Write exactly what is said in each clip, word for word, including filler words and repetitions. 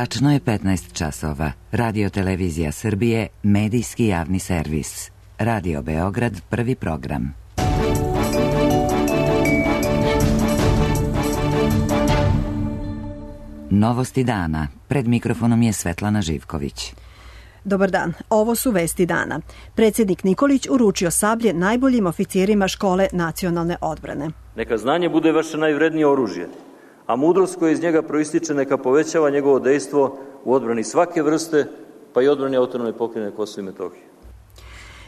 Tačno je petnaest časova. Radio Televizija Srbije, medijski javni servis. Radio Beograd, prvi program. Novosti dana. Pred mikrofonom je Svetlana Živković. Dobar dan, ovo su vesti dana. Predsjednik Nikolić uručio sablje najboljim oficirima škole nacionalne odbrane. Neka znanje bude vaše najvrednije oružje, a mudrost koja iz njega proističe neka povećava njegovo dejstvo u odbrani svake vrste, pa i odbrani autonomne pokrajine Kosovo i Metohije.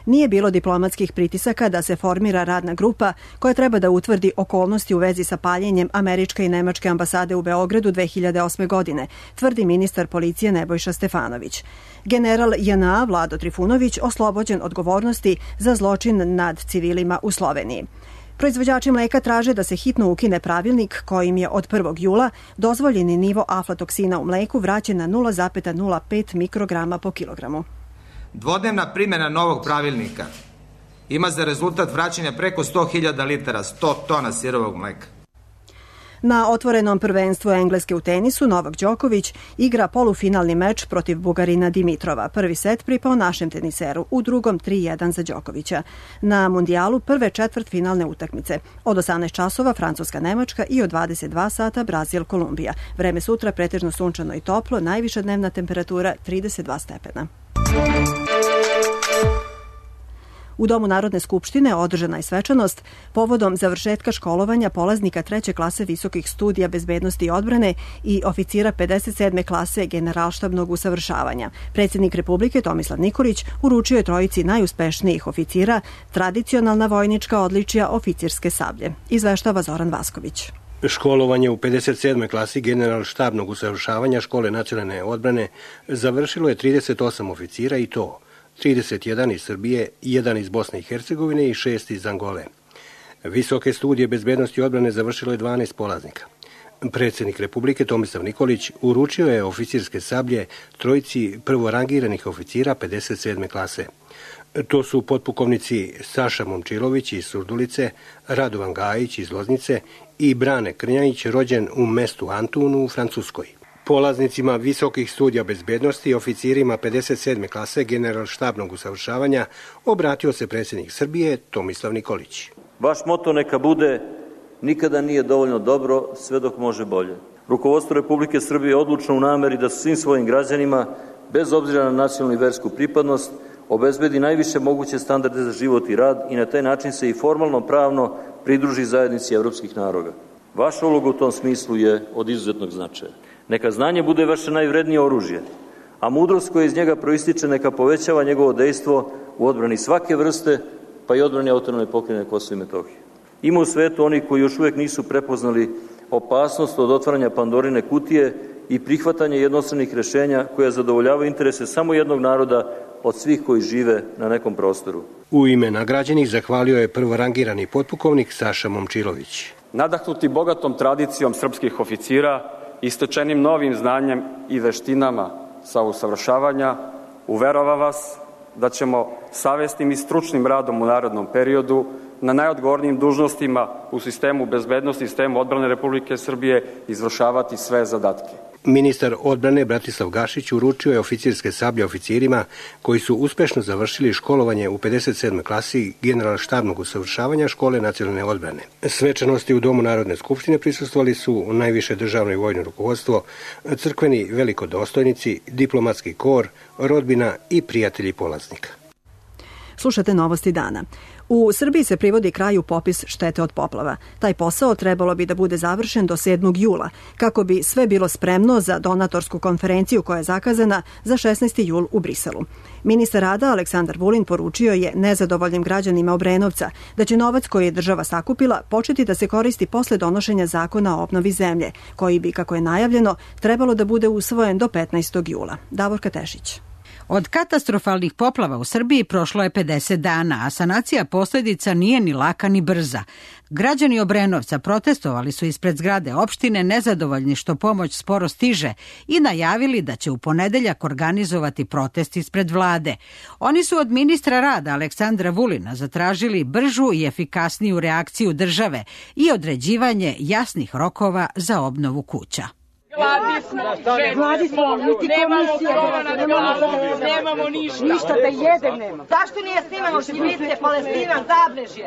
Nije bilo diplomatskih pritisaka da se formira radna grupa koja treba da utvrdi okolnosti u vezi sa paljenjem američke i nemačke ambasade u Beogradu dve hiljade osme. godine, tvrdi ministar policije Nebojša Stefanović. General J N A Vlado Trifunović oslobođen odgovornosti za zločin nad civilima u Sloveniji. Proizvođači mleka traže da se hitno ukine pravilnik kojim je od prvog jula dozvoljeni nivo aflatoksina u mleku vraćen na nula zarez nula pet mikrograma po kilogramu. Dvodnevna primjena novog pravilnika ima za rezultat vraćanja preko sto hiljada litara, sto tona sirovog mleka. Na otvorenom prvenstvu Engleske u tenisu Novak Đoković igra polufinalni meč protiv Bugarina Dimitrova. Prvi set pripao našem teniseru, u drugom tri jedan za Đokovića. Na mundijalu prve četvrtfinalne utakmice. Od osamnaest časova Francuska-Nemačka i od dvadeset dva sata Brazil-Kolumbija. Vreme sutra pretežno sunčano i toplo, najviša dnevna temperatura trideset dva stepena. U Domu Narodne skupštine održana je svečanost povodom završetka školovanja polaznika treće klase visokih studija bezbednosti i odbrane i oficira pedeset sedme klase generalštabnog usavršavanja. Predsjednik Republike Tomislav Nikolić uručio je trojici najuspešnijih oficira tradicionalna vojnička odličja oficirske sablje. Izveštava Zoran Vasković. Školovanje u pedeset sedmoj klasi generalštabnog usavršavanja škole nacionalne odbrane završilo je trideset osam oficira i to trideset jedan iz Srbije, jedan iz Bosne i Hercegovine i šest iz Angole. Visoke studije bezbednosti i odbrane završilo je dvanaest polaznika. Predsjednik Republike Tomislav Nikolić uručio je oficirske sablje trojici prvorangiranih oficira pedeset sedme klase. To su potpukovnici Saša Momčilović iz Surdulice, Radovan Gajić iz Loznice i Brane Krnjajić, rođen u mestu Antunu u Francuskoj. Polaznicima visokih studija bezbednosti i oficirima pedeset sedme klase generalštabnog usavršavanja obratio se predsjednik Srbije Tomislav Nikolić. Vaš moto neka bude: nikada nije dovoljno dobro, sve dok može bolje. Rukovodstvo Republike Srbije je odlučno u nameri da svim svojim građanima, bez obzira na nacionalnu i versku pripadnost, obezbedi najviše moguće standarde za život i rad i na taj način se i formalno pravno pridruži zajednici evropskih naroda. Vaša uloga u tom smislu je od izuzetnog značaja. Neka znanje bude vaše najvrednije oružje, a mudrost koja iz njega proističe neka povećava njegovo dejstvo u odbrani svake vrste, pa i odbrani autonomne pokrajine Kosovo i Metohije. Ima u svetu oni koji još uvijek nisu prepoznali opasnost od otvaranja Pandorine kutije i prihvatanja jednostranih rješenja koja zadovoljavaju interese samo jednog naroda od svih koji žive na nekom prostoru. U ime nagrađenih zahvalio je prvorangirani potpukovnik Saša Momčilović. Nadahnuti bogatom tradicijom srpskih oficira, istočenim novim znanjem i veštinama sa usavršavanja, uverava vas da ćemo savesnim i stručnim radom u narednom periodu na najodgovornijim dužnostima u sistemu bezbednosti i sistemu odbrane Republike Srbije izvršavati sve zadatke. Ministar odbrane Bratislav Gašić uručio je oficirske sablje oficirima koji su uspešno završili školovanje u pedeset sedmoj klasi generalštabnog usavršavanja škole nacionalne odbrane. Svečanosti u Domu Narodne skupštine prisustvovali su najviše državno i vojno rukovodstvo, crkveni velikodostojnici, diplomatski kor, rodbina i prijatelji polaznika. Slušate novosti dana. U Srbiji se privodi kraju popis štete od poplava. Taj posao trebalo bi da bude završen do sedmog jula, kako bi sve bilo spremno za donatorsku konferenciju koja je zakazana za šesnaesti jul u Briselu. Ministar rada Aleksandar Vulin poručio je nezadovoljnim građanima Obrenovca da će novac koji je država sakupila početi da se koristi posle donošenja zakona o obnovi zemlje, koji bi, kako je najavljeno, trebalo da bude usvojen do petnaestog jula. Davorka Tešić. Od katastrofalnih poplava u Srbiji prošlo je pedeset dana, a sanacija posljedica nije ni laka ni brza. Građani Obrenovca protestovali su ispred zgrade opštine nezadovoljni što pomoć sporo stiže i najavili da će u ponedeljak organizovati protest ispred vlade. Oni su od ministra rada Aleksandra Vulina zatražili bržu i efikasniju reakciju države i određivanje jasnih rokova za obnovu kuća. Vladi smo, ženi smo, nemamo krova nad glavom, nemamo ništa. Ništa da jedem nema. Zašto nije snimamo Šivice, Palestina, Zabrežje,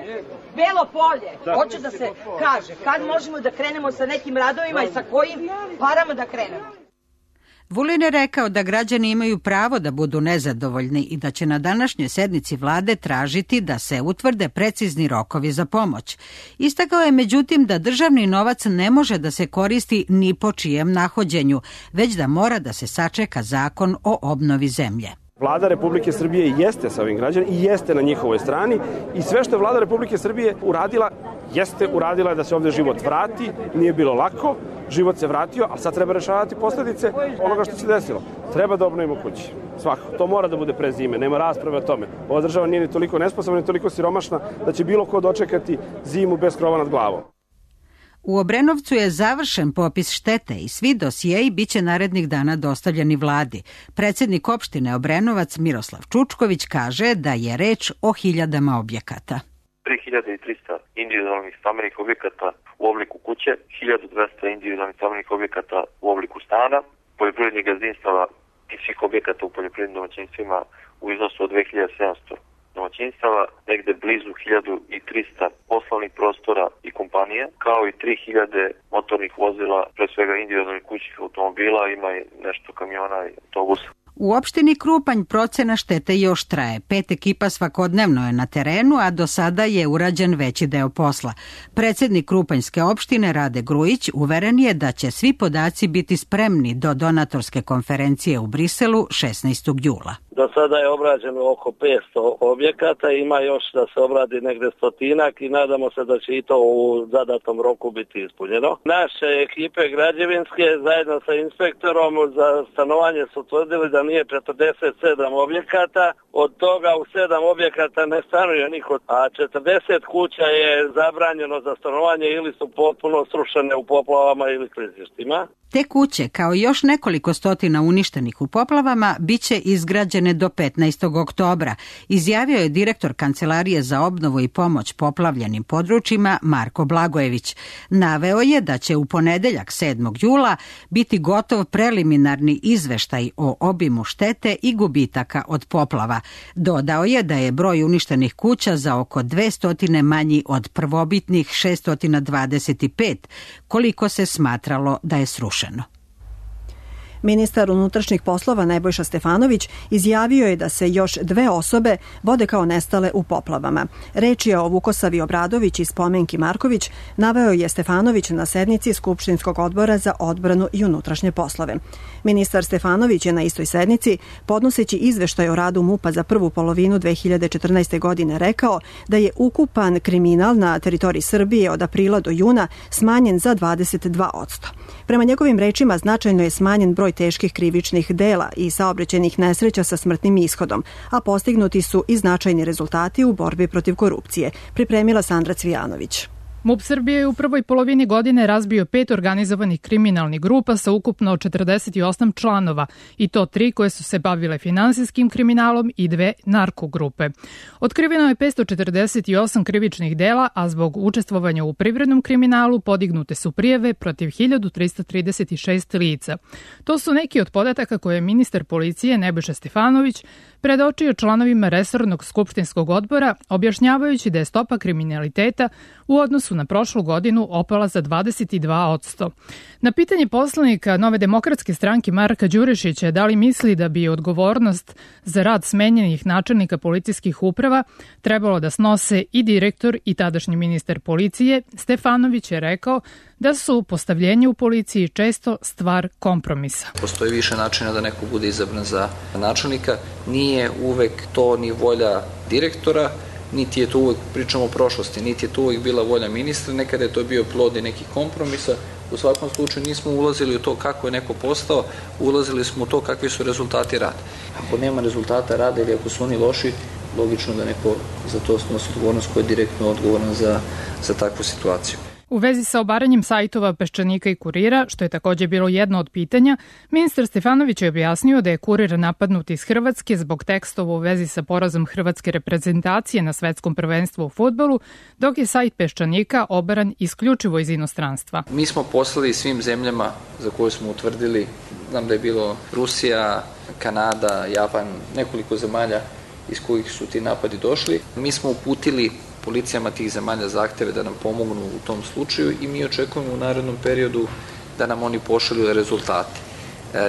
Belo polje? Hoću da se kaže, kad možemo da krenemo sa nekim radovima i sa kojim parama da krenemo. Vulin je rekao da građani imaju pravo da budu nezadovoljni i da će na današnjoj sednici vlade tražiti da se utvrde precizni rokovi za pomoć. Istakao je međutim da državni novac ne može da se koristi ni po čijem nahođenju, već da mora da se sačeka zakon o obnovi zemlje. Vlada Republike Srbije jeste sa ovim građanima i jeste na njihovoj strani i sve što je Vlada Republike Srbije uradila, jeste uradila da se ovde život vrati, nije bilo lako, život se vratio, ali sad treba rešavati posledice onoga što se desilo. Treba da obnovimo kući. Svako. To mora da bude pre zime, nema rasprave o tome. Ova država nije ni toliko nesposobna, ni toliko siromašna da će bilo ko dočekati zimu bez krova nad glavom. U Obrenovcu je završen popis štete i svi dosijeji biće narednih dana dostavljeni vladi. Predsjednik opštine Obrenovac Miroslav Čučković kaže da je reč o hiljadama objekata. tri hiljade trista individualnih stambenih objekata u obliku kuće, hiljadu dvesta individualnih stambenih objekata u obliku stana, poljoprivrednih gazdinstava i svih objekata u poljoprivrednim domaćinstvima u iznosu od dve hiljade sedamsto domaćinstava, negde blizu hiljadu trista poslovnih prostora i kompanija, kao i tri hiljade motornih vozila, pre svega individualnih kućnih automobila, ima i nešto kamiona i autobusa. U opštini Krupanj procena štete još traje. Pet ekipa svakodnevno je na terenu, a do sada je urađen veći deo posla. Predsjednik Krupanjske opštine Rade Grujić uveren je da će svi podaci biti spremni do donatorske konferencije u Briselu šesnaestog jula. Do sada je obrađeno oko petsto objekata, ima još da se obradi negde stotinak i nadamo se da će i to u zadatom roku biti ispunjeno. Naše ekipe građevinske zajedno sa inspektorom za stanovanje su tvrdili da nije četrdeset sedam objekata, od toga u sedam objekata ne stanuje niko, a četrdeset kuća je zabranjeno za stanovanje ili su potpuno srušene u poplavama ili klizištima. Te kuće, kao i još nekoliko stotina uništenih u poplavama, biće izgrađene do petnaestog oktobra, izjavio je direktor Kancelarije za obnovu i pomoć poplavljenim područjima Marko Blagojević. Naveo je da će u ponedeljak sedmog jula biti gotov preliminarni izveštaj o obimu štete i gubitaka od poplava. Dodao je da je broj uništenih kuća za oko dvesta manji od prvobitnih šesto dvadeset pet, koliko se smatralo da je srušeno. Ministar unutrašnjih poslova Nebojša Stefanović izjavio je da se još dve osobe vode kao nestale u poplavama. Reč je o Vukosavi Obradović i Spomenki Marković, naveo je Stefanović na sednici Skupštinskog odbora za odbranu i unutrašnje poslove. Ministar Stefanović je na istoj sednici, podnoseći izveštaj o radu MUP-a za prvu polovinu dve hiljade četrnaeste. godine, rekao da je ukupan kriminal na teritoriji Srbije od aprila do juna smanjen za dvadeset dva posto. Prema njegovim rečima značajno je smanjen broj teških krivičnih dela i saobraćajnih nesreća sa smrtnim ishodom, a postignuti su i značajni rezultati u borbi protiv korupcije, pripremila Sandra Cvijanović. MUP Srbije je u prvoj polovini godine razbio pet organizovanih kriminalnih grupa sa ukupno četrdeset osam članova, i to tri koje su se bavile finansijskim kriminalom i dve narkogrupe. Otkriveno je petsto četrdeset osam krivičnih dela, a zbog učestvovanja u privrednom kriminalu podignute su prijave protiv hiljadu trista trideset šest lica. To su neki od podataka koje je ministar policije Nebojša Stefanović predočio članovima resornog skupštinskog odbora, objašnjavajući da je stopa kriminaliteta u odnosu na prošlu godinu opala za dvadeset dva posto. Na pitanje poslanika Nove demokratske stranke Marka Đurišića da li misli da bi odgovornost za rad smenjenih načelnika policijskih uprava trebalo da snose i direktor i tadašnji ministar policije, Stefanović je rekao da su postavljenje u policiji često stvar kompromisa. Postoji više načina da neko bude izabran za načelnika, nije uvek to ni volja direktora, niti je to uvek, pričamo o prošlosti, niti je to uvek bila volja ministra, nekada je to bio plod i nekih kompromisa. U svakom slučaju nismo ulazili u to kako je neko postao, ulazili smo u to kakvi su rezultati rada. Ako nema rezultata rada ili ako su oni loši, logično da neko za to snosi odgovornost koji je direktno odgovoran za, za takvu situaciju. U vezi sa obaranjem sajtova Peščanika i Kurira, što je takođe bilo jedno od pitanja, ministar Stefanović je objasnio da je Kurir napadnut iz Hrvatske zbog tekstova u vezi sa porazom hrvatske reprezentacije na svetskom prvenstvu u fudbalu, dok je sajt Peščanika obaran isključivo iz inostranstva. Mi smo poslali svim zemljama za koje smo utvrdili, znam da je bilo Rusija, Kanada, Japan, nekoliko zemalja iz kojih su ti napadi došli. Mi smo uputili policijama tih zemalja zahteve da nam pomognu u tom slučaju i mi očekujemo u narednom periodu da nam oni pošalju rezultate.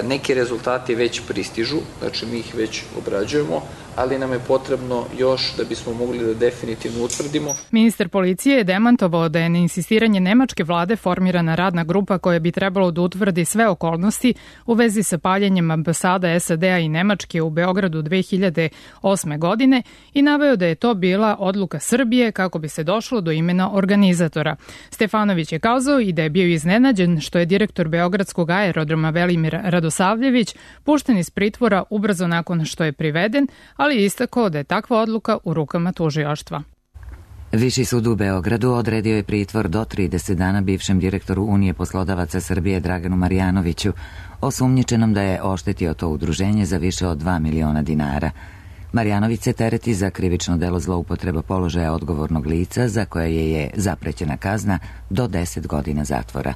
Neki rezultati već pristižu, znači mi ih već obrađujemo, ali nam je potrebno još da bismo mogli da definitivno utvrdimo. Ministar policije je demantovao da je na insistiranje nemačke vlade formirana radna grupa koja bi trebalo da utvrdi sve okolnosti u vezi sa paljenjem ambasada S A D-a i Nemačke u Beogradu dve hiljade osme. godine i naveo da je to bila odluka Srbije kako bi se došlo do imena organizatora. Stefanović je kazao i da je bio iznenađen što je direktor Beogradskog aerodroma Velimir Radosavljević pušten iz pritvora ubrzo nakon što je priveden, ali je istakao da je takva odluka u rukama tužilaštva. Viši sud u Beogradu odredio je pritvor do trideset dana bivšem direktoru Unije poslodavaca Srbije Draganu Marjanoviću, osumnjičenom da je oštetio to udruženje za više od dva miliona dinara. Marjanović se tereti za krivično delo zloupotreba položaja odgovornog lica za koje je zaprećena kazna do deset godina zatvora.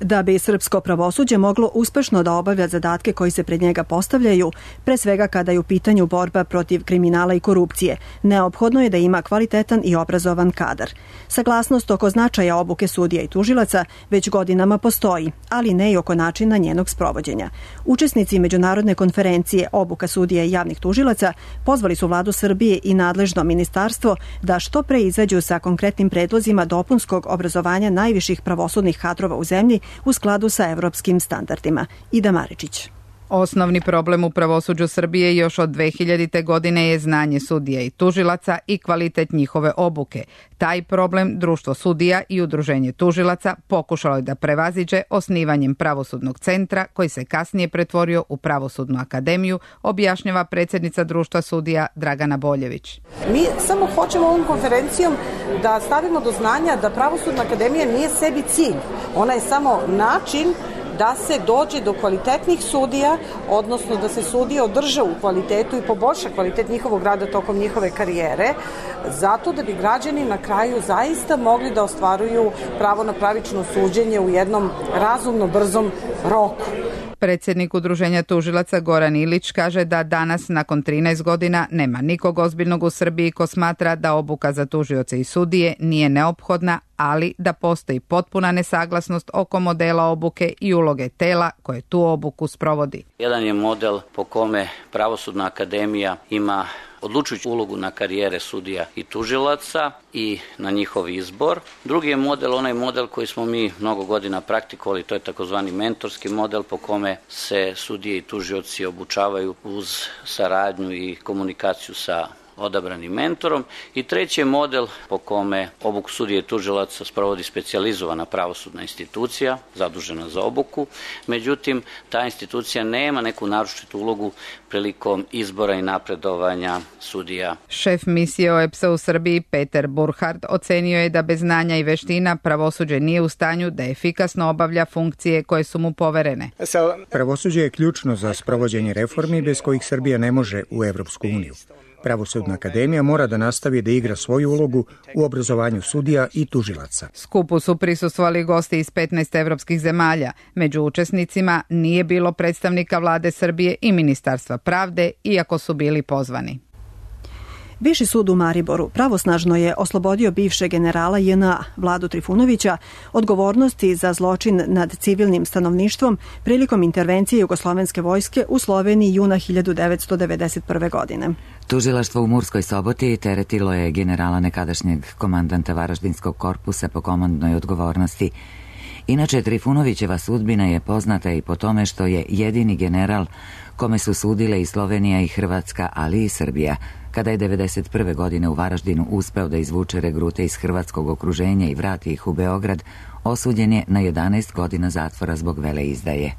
Da bi srpsko pravosuđe moglo uspešno da obavlja zadatke koji se pred njega postavljaju, pre svega kada je u pitanju borba protiv kriminala i korupcije, neophodno je da ima kvalitetan i obrazovan kadar. Saglasnost oko značaja obuke sudija i tužilaca već godinama postoji, ali ne i oko načina njenog sprovođenja. Učesnici međunarodne konferencije Obuka sudija i javnih tužilaca pozvali su vladu Srbije i nadležno ministarstvo da što pre izađu sa konkretnim predlozima dopunskog obrazovanja najviših pravosudnih kadrova u zemlji u skladu sa evropskim standardima. Ida Maričić. Osnovni problem u pravosuđu Srbije još od dve hiljadite. godine je znanje sudija i tužilaca i kvalitet njihove obuke. Taj problem Društvo sudija i Udruženje tužilaca pokušalo je da prevaziđe osnivanjem pravosudnog centra koji se kasnije pretvorio u Pravosudnu akademiju, objašnjava predsjednica Društva sudija Dragana Boljević. Mi samo hoćemo ovom konferencijom da stavimo do znanja da Pravosudna akademija nije sebi cilj. Ona je samo način da se dođe do kvalitetnih sudija, odnosno da se sudije održe u kvalitetu i poboljša kvalitet njihovog rada tokom njihove karijere, zato da bi građani na kraju zaista mogli da ostvaruju pravo na pravično suđenje u jednom razumno brzom roku. Predsjednik Udruženja tužilaca Goran Ilić kaže da danas, nakon trinaest godina, nema nikog ozbiljnog u Srbiji ko smatra da obuka za tužioce i sudije nije neophodna, ali da postoji potpuna nesaglasnost oko modela obuke i uloge tela koje tu obuku sprovodi. Jedan je model po kome Pravosudna akademija ima odlučujuću ulogu na karijere sudija i tužilaca i na njihov izbor. Drugi je model, onaj model koji smo mi mnogo godina praktikovali, to je takozvani mentorski model po kome se sudije i tužioci obučavaju uz saradnju i komunikaciju sa odabranim mentorom. I treći je model po kome obuku sudije i tužilaca sprovodi specijalizovana pravosudna institucija zadužena za obuku. Međutim, ta institucija nema neku naročitu ulogu prilikom izbora i napredovanja sudija. Šef misije O E P S-a u Srbiji Peter Burhard ocenio je da bez znanja i veština pravosuđe nije u stanju da efikasno obavlja funkcije koje su mu poverene. Pravosuđe je ključno za sprovođenje reformi bez kojih Srbija ne može u Evropsku uniju. Pravosudna akademija mora da nastavi da igra svoju ulogu u obrazovanju sudija i tužilaca. Skupu su prisustvovali gosti iz petnaest evropskih zemalja. Među učesnicima nije bilo predstavnika vlade Srbije i Ministarstva pravde, iako su bili pozvani. Viši sud u Mariboru pravosnažno je oslobodio bivšeg generala J N A Vladu Trifunovića odgovornosti za zločin nad civilnim stanovništvom prilikom intervencije Jugoslovenske vojske u Sloveniji juna hiljadu devetsto devedeset prve. godine. Tužilaštvo u Murskoj Soboti teretilo je generala nekadašnjeg komandanta Varaždinskog korpusa po komandnoj odgovornosti. Inače, Trifunovićeva sudbina je poznata i po tome što je jedini general kome su sudile i Slovenija i Hrvatska, ali i Srbija. Kada je devedeset prve. godine u Varaždinu uspeo da izvuče regrute iz hrvatskog okruženja i vrati ih u Beograd, osuđen je na jedanaest godina zatvora zbog veleizdaje.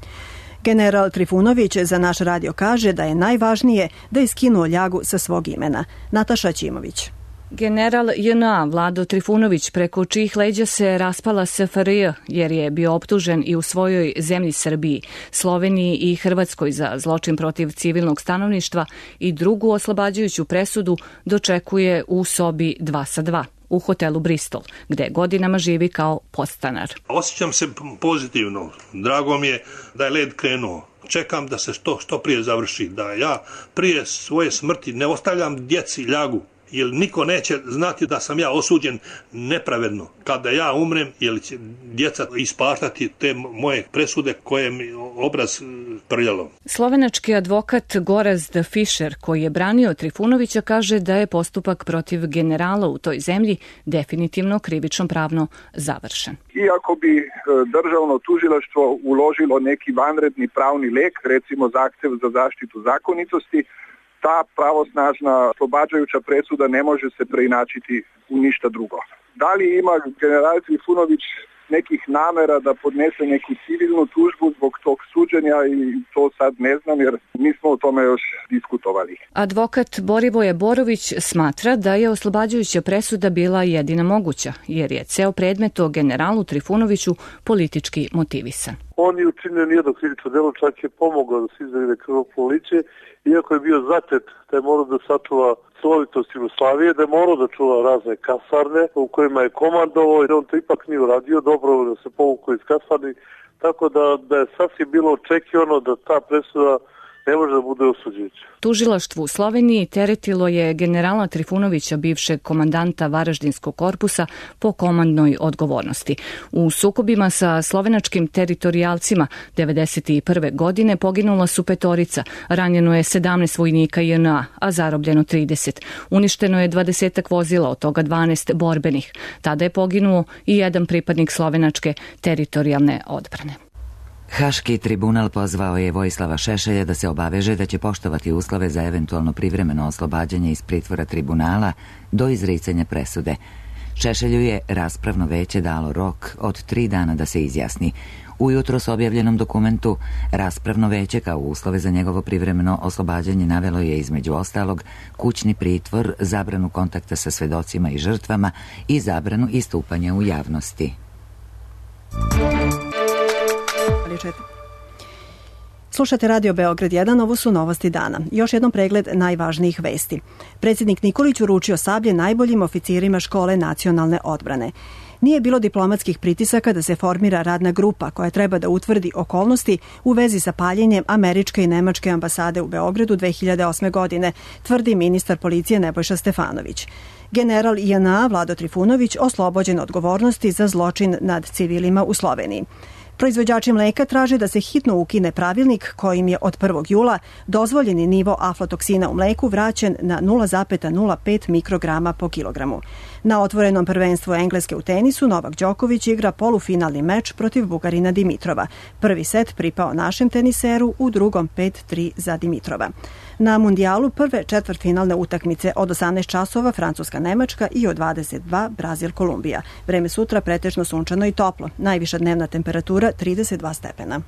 General Trifunović za naš radio kaže da je najvažnije da je skinuo ljagu sa svog imena. Nataša Ćimović. General J N A Vlado Trifunović, preko čijih leđa se raspala S F R J, jer je bio optužen i u svojoj zemlji Srbiji, Sloveniji i Hrvatskoj za zločin protiv civilnog stanovništva i drugu oslobađajuću presudu, dočekuje u sobi dva sa dva u hotelu Bristol, gde godinama živi kao podstanar. Osjećam se pozitivno. Drago mi je da je led krenuo. Čekam da se to što prije završi, da ja prije svoje smrti ne ostavljam djeci ljagu, jer niko neće znati da sam ja osuđen nepravedno. Kada ja umrem, jer će djeca ispaštati te moje presude koje mi obraz prljalo. Slovenački advokat Gorazd Fischer, koji je branio Trifunovića, kaže da je postupak protiv generala u toj zemlji definitivno krivično pravno završen. Iako bi državno tužilaštvo uložilo neki vanredni pravni lek, recimo zahtev za zaštitu zakonitosti, ta pravosnažna oslobađajuća presuda ne može se preinačiti u ništa drugo. Da li ima general Trifunović nekih namera da podnese neku civilnu tužbu zbog tog suđenja, i to sad ne znam jer nismo o tome još diskutovali. Advokat Borivoje Borović smatra da je oslobađajuća presuda bila jedina moguća, jer je ceo predmet o generalu Trifunoviću politički motivisan. On je učinio nijedno krivično delo, čak je pomogao da se izbjegne krvoproliće, iako je bio zatet da je morao da sačuva celovitost Jugoslavije, da je morao da čuva razne kasarne u kojima je komandovao, i on to ipak nije uradio, dobro da se povukao iz kasarni, tako da, da je sasvim bilo očekivano da ta presuda ne može da bude osuđujuća. Tužilaštvo u Sloveniji teretilo je generala Trifunovića, bivšeg komandanta Varaždinskog korpusa, po komandnoj odgovornosti. U sukobima sa slovenačkim teritorijalcima devedeset prve godine poginula su petorica, ranjeno je sedamnaest vojnika J N A, a zarobljeno trideset. Uništeno je dvadesetak vozila, od toga dvanaest borbenih. Tada je poginuo i jedan pripadnik slovenačke teritorijalne odbrane. Haški tribunal pozvao je Vojislava Šešelja da se obaveže da će poštovati uslove za eventualno privremeno oslobađanje iz pritvora tribunala do izricanja presude. Šešelju je raspravno veće dalo rok od tri dana da se izjasni. Ujutro s objavljenom dokumentu raspravno veće kao uslove za njegovo privremeno oslobađanje navelo je između ostalog kućni pritvor, zabranu kontakta sa svedocima i žrtvama i zabranu istupanja u javnosti. Slušate Radio Beograd jedan, ovo su novosti dana. Još jednom pregled najvažnijih vesti. Predsjednik Nikolić uručio sablje najboljim oficirima škole nacionalne odbrane. Nije bilo diplomatskih pritisaka da se formira radna grupa koja treba da utvrdi okolnosti u vezi sa paljenjem američke i nemačke ambasade u Beogradu dve hiljade osme. godine, tvrdi ministar policije Nebojša Stefanović. General J N A Vlado Trifunović oslobođen odgovornosti za zločin nad civilima u Sloveniji. Proizvođači mleka traže da se hitno ukine pravilnik kojim je od prvog jula dozvoljeni nivo aflatoksina u mleku vraćen na nula zarez nula pet mikrograma po kilogramu. Na otvorenom prvenstvu Engleske u tenisu Novak Đoković igra polufinalni meč protiv Bugarina Dimitrova. Prvi set pripao našem teniseru, u drugom pet tri za Dimitrova. Na mundijalu prve četvrtfinalne utakmice od osamnaest časova Francuska-Nemačka i od dvadeset dva Brazil-Kolumbija. Vreme sutra pretežno sunčano i toplo. Najviša dnevna temperatura trideset dva stepena.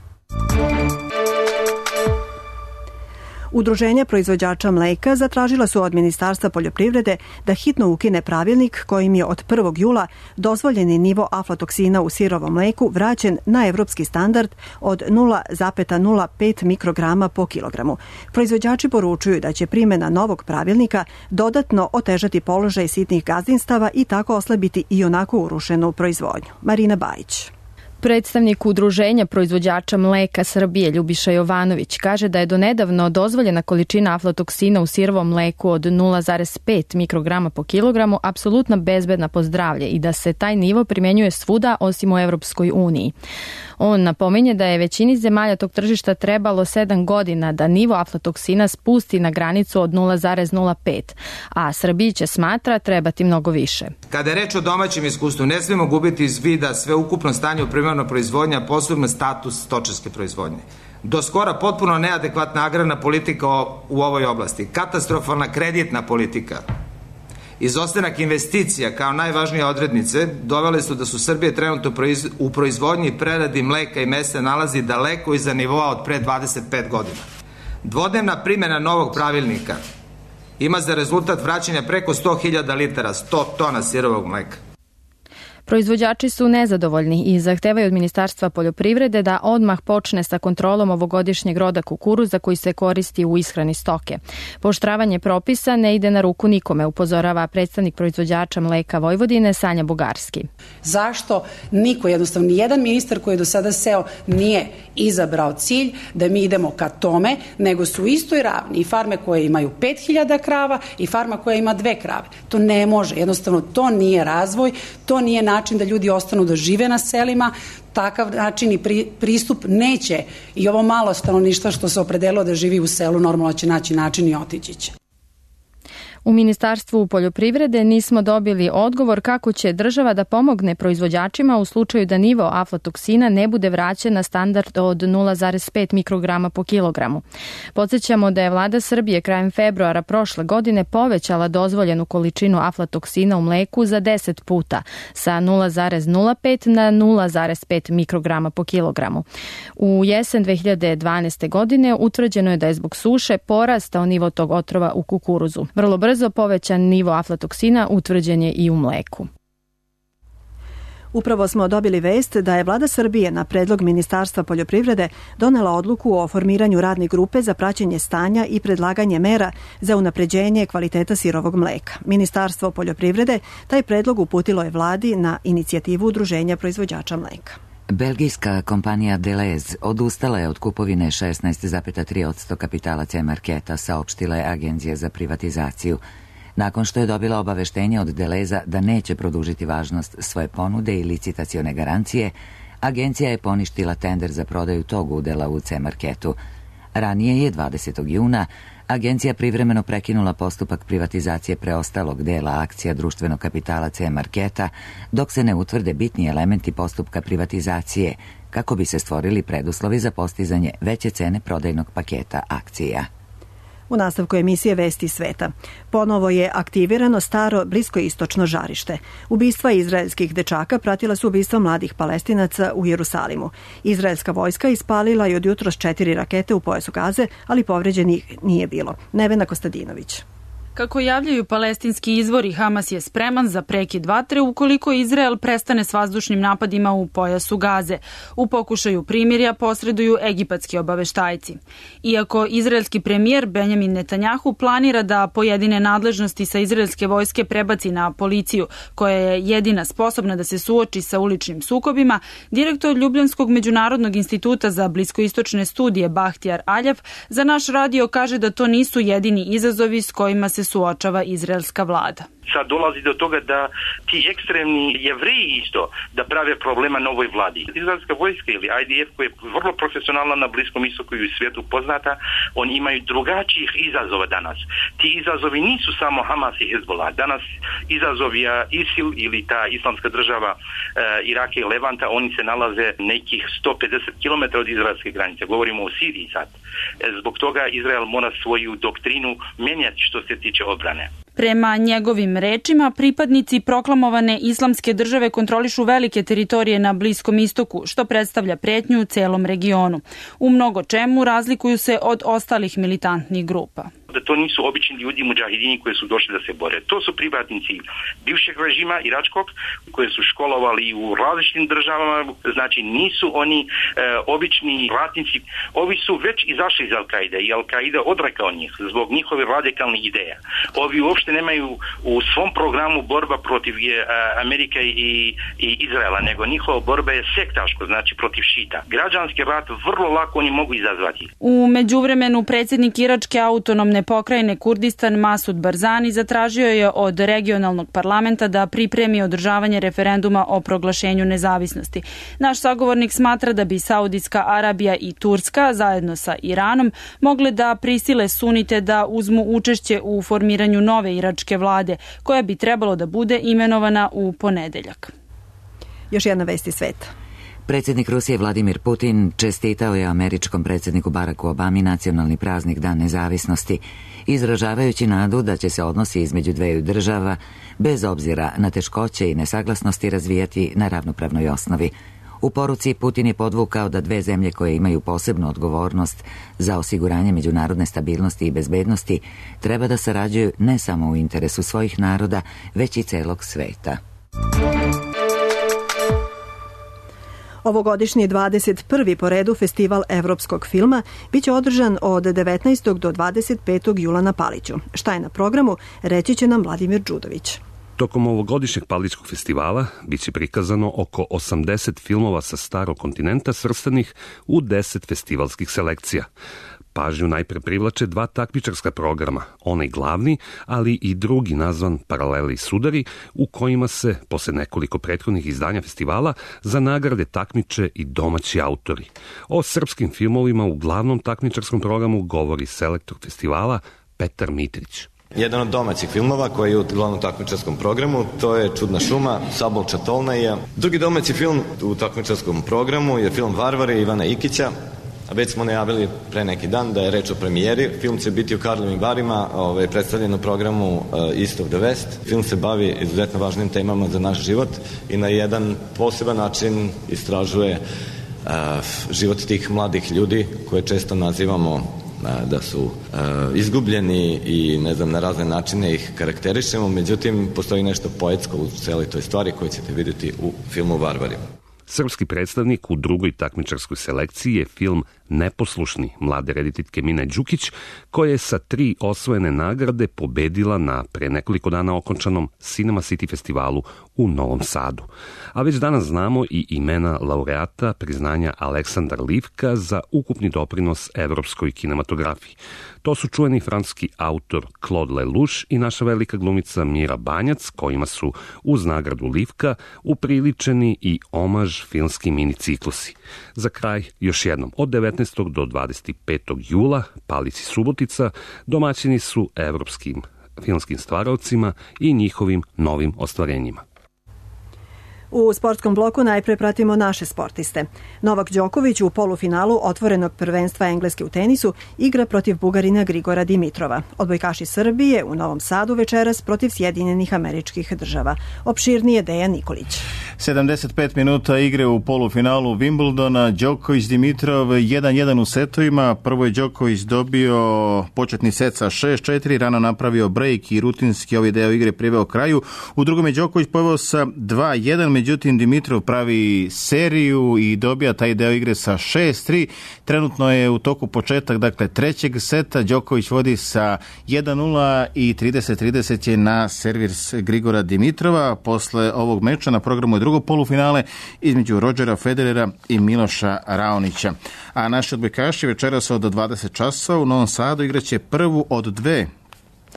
Udruženja proizvođača mleka zatražila su od Ministarstva poljoprivrede da hitno ukine pravilnik kojim je od prvog jula dozvoljeni nivo aflatoksina u sirovom mleku vraćen na evropski standard od nula zarez nula pet mikrograma po kilogramu. Proizvođači poručuju da će primjena novog pravilnika dodatno otežati položaj sitnih gazdinstava i tako oslabiti i onako urušenu proizvodnju. Marina Bajić. Predstavnik Udruženja proizvođača mleka Srbije Ljubiša Jovanović kaže da je donedavno dozvoljena količina aflatoksina u sirovom mleku od nula zarez pet mikrograma po kilogramu apsolutno bezbedna po zdravlje i da se taj nivo primjenjuje svuda osim u Evropskoj uniji. On napominje da je većini zemalja tog tržišta trebalo sedam godina da nivo aflatoksina spusti na granicu od nula zarez nula pet, a Srbiji će, smatra, trebati mnogo više. Kada je reč o domaćem iskustvu, ne smijemo gubiti iz vida sve ukupno stanje u primarnoj proizvodnji, a posebno status stočarske proizvodnje. Do skora potpuno neadekvatna agrarna politika u ovoj oblasti, katastrofalna kreditna politika, izostanak investicija kao najvažnije odrednice dovele su da su Srbije trenutno u proizvodnji i preradi mleka i mesa nalazi daleko iza nivoa od pre dvadeset pet godina. Dvodnevna primjena novog pravilnika ima za rezultat vraćanja preko sto hiljada litara, sto tona sirovog mleka. Proizvođači su nezadovoljni i zahtevaju od Ministarstva poljoprivrede da odmah počne sa kontrolom ovogodišnjeg roda kukuruza koji se koristi u ishrani stoke. Pooštravanje propisa ne ide na ruku nikome, upozorava predstavnik proizvođača mleka Vojvodine Sanja Bugarski. Zašto niko, jednostavno nijedan ministar koji je do sada seo nije izabrao cilj da mi idemo ka tome, nego su u istoj ravni i farme koje imaju pet hiljada krava i farma koja ima dve krave. To ne može, jednostavno to nije razvoj, to nije način da ljudi ostanu da žive na selima, takav način i pri, pristup neće i ovo malo stanovništva što se opredelilo da živi u selu normalno će naći način i otići će. U Ministarstvu poljoprivrede nismo dobili odgovor kako će država da pomogne proizvođačima u slučaju da nivo aflatoksina ne bude vraćen na standard od nula zarez pet mikrograma po kilogramu. Podsjećamo da je vlada Srbije krajem februara prošle godine povećala dozvoljenu količinu aflatoksina u mleku za deset puta, sa nula zarez nula pet na nula zarez pet mikrograma po kilogramu. U jesen dve hiljade dvanaeste. godine utvrđeno je da je zbog suše porastao nivo tog otrova u kukuruzu. Vrlo brzo Brzo povećan nivo aflatoksina utvrđen je i u mleku. Upravo smo dobili vest da je vlada Srbije na predlog Ministarstva poljoprivrede donela odluku o formiranju radne grupe za praćenje stanja i predlaganje mera za unapređenje kvaliteta sirovog mleka. Ministarstvo poljoprivrede taj predlog uputilo je vladi na inicijativu Udruženja proizvođača mleka. Belgijska kompanija Deleuze odustala je od kupovine šesnaest zarez tri posto kapitala C-Marketa, saopštila je Agencija za privatizaciju. Nakon što je dobila obaveštenje od Deleuza da neće produžiti važnost svoje ponude i licitacione garancije, agencija je poništila tender za prodaju tog udela u C-Marketu. Ranije je dvadesetog juna agencija privremeno prekinula postupak privatizacije preostalog dela akcija društvenog kapitala C-Marketa dok se ne utvrde bitni elementi postupka privatizacije kako bi se stvorili preduslovi za postizanje veće cene prodajnog paketa akcija. U nastavku emisije Vesti sveta. Ponovo je aktivirano staro bliskoistočno žarište. Ubistva izraelskih dečaka pratila su ubistva mladih Palestinaca u Jerusalimu. Izraelska vojska ispalila je od jutros četiri rakete u pojasu Gaze, ali povređenih nije bilo. Nevena Kostadinović. Kako javljaju palestinski izvori, Hamas je spreman za prekid vatre ukoliko Izrael prestane s vazdušnim napadima u pojasu Gaze. U pokušaju primirja posreduju egipatski obaveštajci. Iako izraelski premijer Benjamin Netanjahu planira da pojedine nadležnosti sa izraelske vojske prebaci na policiju, koja je jedina sposobna da se suoči sa uličnim sukobima, direktor Ljubljanskog međunarodnog instituta za bliskoistočne studije Bahtijar Aljav za naš radio kaže da to nisu jedini izazovi s kojima se suočava izraelska vlada. Sad dolazi do toga da ti ekstremni Jevreji isto da prave problema novoj vladi. Izraelska vojska ili I D F koja je vrlo profesionalna na Bliskom istoku i u svijetu poznata, oni imaju drugačijih izazova danas. Ti izazovi nisu samo Hamas i Hezbollah. Danas izazovi ISIL ili ta islamska država e, Iraka i Levanta, oni se nalaze nekih sto pedeset kilometara od izraelske granice. Govorimo o Siriji sad. E, zbog toga Izrael mora svoju doktrinu menjati što se tiče obrane. Prema njegovim rečima, pripadnici proklamovane islamske države kontrolišu velike teritorije na Bliskom istoku, što predstavlja pretnju u celom regionu. U mnogo čemu razlikuju se od ostalih militantnih grupa. Da to nisu obični ljudi mudžahidini koji su došli da se bore. To su pripadnici bivšeg režima iračkog koje su školovali u različitim državama, znači nisu oni e, obični ratnici. Ovi su već izašli iz Al-Kaide i Al-Kaida odrekao njih zbog njihove radikalnih ideja. Ovi uopšte nemaju u svom programu borba protiv e, Amerike i, i Izraela, nego njihova borba je sektaško, znači protiv šita. Građanski rat vrlo lako oni mogu izazvati. U međuvremenu predsjednik iračke autonomne pokrajine Kurdistan Masud Barzani zatražio je od regionalnog parlamenta da pripremi održavanje referenduma o proglašenju nezavisnosti. Naš sagovornik smatra da bi Saudijska Arabija i Turska zajedno sa Iranom mogle da prisile sunite da uzmu učešće u formiranju nove iračke vlade, koja bi trebalo da bude imenovana u ponedeljak. Još jedna vest iz sveta. Predsjednik Rusije Vladimir Putin čestitao je američkom predsjedniku Baracku Obami nacionalni praznik Dan nezavisnosti, izražavajući nadu da će se odnosi između dveju država, bez obzira na teškoće i nesaglasnosti, razvijati na ravnopravnoj osnovi. U poruci Putin je podvukao da dve zemlje koje imaju posebnu odgovornost za osiguranje međunarodne stabilnosti i bezbednosti treba da sarađuju ne samo u interesu svojih naroda, već i celog sveta. Ovogodišnji dvadeset prvi po redu festival evropskog filma biće održan od devetnaestog do dvadeset petog jula na Paliću. Šta je na programu, reći će nam Vladimir Đudović. Tokom ovogodišnjeg Palićkog festivala biće prikazano oko osamdeset filmova sa starog kontinenta svrstanih u deset festivalskih selekcija. Pažnju najpre privlače dva takmičarska programa, onaj glavni, ali i drugi nazvan Paraleli i sudari, u kojima se, posle nekoliko prethodnih izdanja festivala, za nagrade takmiče i domaći autori. O srpskim filmovima u glavnom takmičarskom programu govori selektor festivala Petar Mitrić. Jedan od domaćih filmova koji je u glavnom takmičarskom programu, to je Čudna šuma, Sabolča Tolnaja. Drugi domaći film u takmičarskom programu je film Varvari Ivana Ikića. Već smo najavili pre neki dan da je reč o premijeri. Film će biti u Karlovim Varima, ovaj, predstavljen u programu uh, East of the West. Film se bavi izuzetno važnim temama za naš život i na jedan poseban način istražuje uh, život tih mladih ljudi koje često nazivamo da su uh, izgubljeni i ne znam na razne načine ih karakterišemo, međutim postoji nešto poetsko u celoj toj stvari koju ćete vidjeti u filmu Varvari. Srpski predstavnik u drugoj takmičarskoj selekciji je film Neposlušni mlade rediteljke Mine Đukić, koja je sa tri osvojene nagrade pobedila na pre nekoliko dana okončanom Cinema City festivalu u Novom Sadu. A već danas znamo i imena laureata priznanja Aleksandar Livka za ukupni doprinos evropskoj kinematografiji. To su čuveni francuski autor Claude Lelouch i naša velika glumica Mira Banjac, kojima su uz nagradu Livka upriličeni i omaž filmski miniciklusi. Za kraj, još jednom, od devetnaestog do dvadeset petog jula, Palić i Subotica domaćini su evropskim filmskim stvaravcima i njihovim novim ostvarenjima. U sportskom bloku najpre pratimo naše sportiste. Novak Đoković u polufinalu otvorenog prvenstva Engleske u tenisu igra protiv Bugarina Grigora Dimitrova. Odbojkaši Srbije u Novom Sadu večeras protiv Sjedinjenih Američkih Država. Opširnije Dejan Nikolić. sedamdeset pet minuta igre u polufinalu Wimbledona, Đoković Dimitrov jedan jedan u setovima. Prvo je Đoković dobio početni set sa šest četiri, rano napravio break i rutinski ovaj deo igre priveo kraju. U drugom je Đoković poveo sa dva jedan, međutim Dimitrov pravi seriju i dobija taj deo igre sa šest tri. Trenutno je u toku početak, dakle, trećeg seta. Đoković vodi sa jedan nula i trideset trideset je na servis Grigora Dimitrova. Posle ovog meča na programu je drugo polufinale između Rodgera Federera i Miloša Raonića. A naši odbojkaši večeras od dvadeset časova u Novom Sadu igraće prvu od dve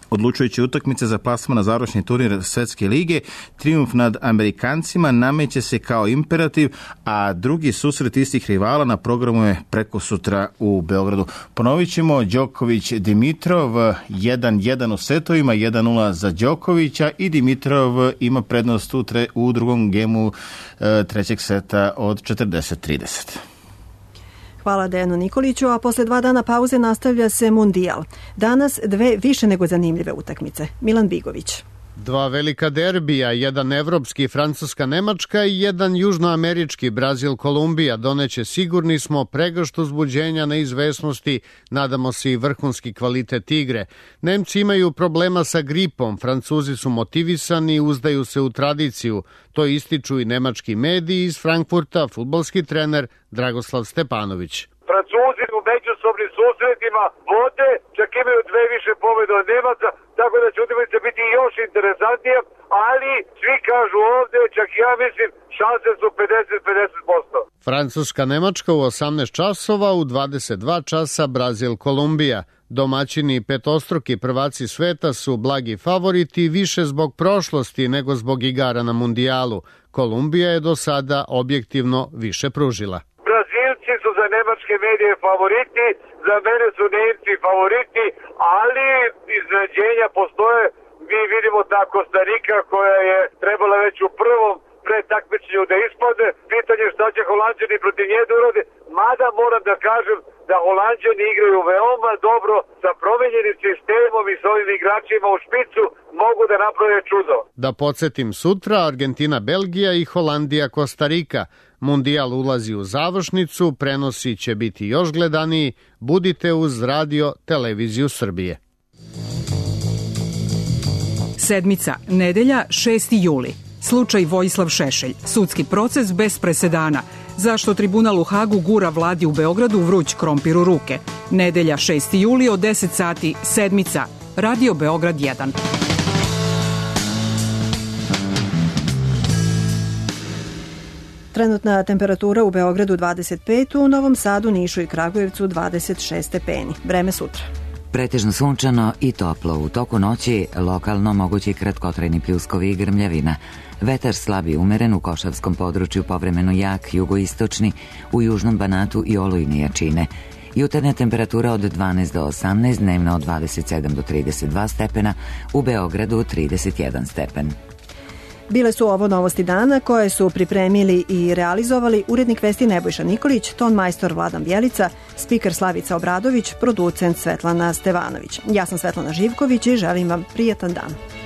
odlučujuće utakmice za plasman na završni turnir Svetske lige. Trijumf nad Amerikancima nameće se kao imperativ, a drugi susret istih rivala na programu je preko sutra u Beogradu. Ponovit ćemo, Đoković Dimitrov jedan jedan u setovima, jedan nula za Đokovića i Dimitrov ima prednost u, tre, u drugom gemu e, trećeg seta od četrdeset trideset. Hvala Dejanu Nikoliću, a posle dva dana pauze nastavlja se Mundijal. Danas dve više nego zanimljive utakmice. Milan Bigović. Dva velika derbija, jedan evropski Francuska-Nemačka i jedan južnoamerički Brazil-Kolumbija doneće, sigurni smo, pregršt uzbuđenja, neizvesnosti, nadamo se i vrhunski kvalitet igre. Nemci imaju problema sa gripom, Francuzi su motivisani i uzdaju se u tradiciju. To ističu i nemački mediji. Iz Frankfurta fudbalski trener Dragoslav Stepanović. Francuzi u međusobnim susretima vode, čak imaju dve više pobjede od Nemaca, tako da će utakmica biti još interesantnija, ali svi kažu ovdje, čak ja mislim, šanse su pedeset pedeset posto. Francuska-Nemačka u osamnaest časova, u dvadeset dva časa Brazil-Kolumbija. Domaćini i petostruki prvaci sveta su blagi favoriti više zbog prošlosti nego zbog igara na mundijalu. Kolumbija je do sada objektivno više pružila. Brazilci su za nemačke medije favoriti, za mene su Nemci favoriti, ali iznenađenja postoje. Mi vidimo ta Kostarika koja je trebala već u prvom pretakmičenju da ispadne. Pitanje šta će Holanđani protiv nje da urade, mada moram da kažem da Holanđani igraju veoma dobro sa promenjenim sistemom i s ovim igračima u špicu, mogu da naprave čudo. Da podsjetim, sutra Argentina, Belgija i Holandija, Kostarika. Mundijal ulazi u završnicu, prenosi će biti još gledaniji. Budite uz Radio Televiziju Srbije. Sedmica, nedelja, šesti juli. Slučaj Vojislav Šešelj. Sudski proces bez presedana. Zašto tribunal u Hagu gura vladi u Beogradu vruć krompir u ruke? Nedelja, šesti juli od deset sati, Sedmica. Radio Beograd jedan. Trenutna temperatura u Beogradu dvadeset pet, u Novom Sadu, Nišu i Kragujevcu dvadeset šest stepeni. Vreme sutra. Pretežno sunčano i toplo. U toku noći lokalno mogući kratkotrajni pljuskovi i grmljavina. Vetar slab i umeren, u Košavskom području povremeno jak, jugoistočni, u južnom Banatu i olujne jačine. Jutarnja temperatura od dvanaest do osamnaest, dnevna od dvadeset sedam do trideset dva stepena, u Beogradu trideset jedan stepen. Bile su ovo novosti dana koje su pripremili i realizovali urednik vesti Nebojša Nikolić, ton majstor Vladan Bjelica, spiker Slavica Obradović, producent Svetlana Stevanović. Ja sam Svetlana Živković i želim vam prijatan dan.